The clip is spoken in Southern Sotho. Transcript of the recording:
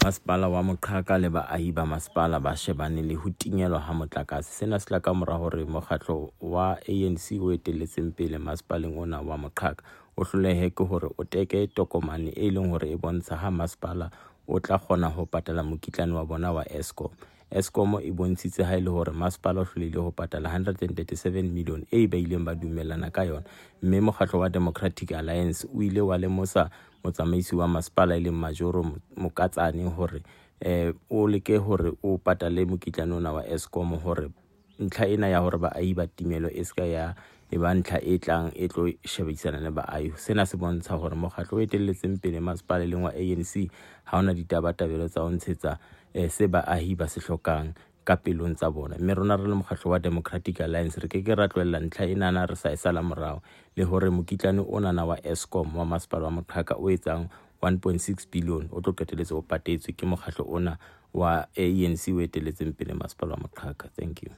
Masepala wa Moqhaka le baahi ba masepala ba shebane le ho tingelwa ha motlakase. Sena se tla ka mora hore mokgatlo wa ANC o etelletseng pele masepaleng ona wa Moqhaka o hlolehe ke hore o teke tokomane e leng hore e bontsha ha masepala o tla kgona ho patala mokitlane wa bona wa Eskom. Eskom e bontshitse ha e le hore masepala o hlolehile ho patala 137 million e ba ileng ba dumellana ka yona, mme mokgatlo wa Democratic Alliance o ile wa lemosa motsamaisi wa masepala e leng Majoro Mokatsane hore o leke hore o patale mokitlane ona wa Eskom hore ntlha ena ya hore baahi ba timelo e seka ya e ba ntlha e tlang e tlo shebisana le baahi. Sena se bontsha hore mokgatlo o etelletseng pele masepala e leng wa ANC ha ona ditabatabelo tsa ho ntshetsa se baahi ba se hlokang ka pelong tsa bona, mme rona re le mokgatlo wa Democratic Alliance re ke ke ra tlohella ntlha enana re sa e sala morao le hore mokitlane onana wa Eskom wa masepala wa Moqhaka o etsang 1.6 billion o tlo qetelletse o patetswe ke mokgatlo ona wa ANC o etelletseng pele masepala wa Moqhaka. Thank you.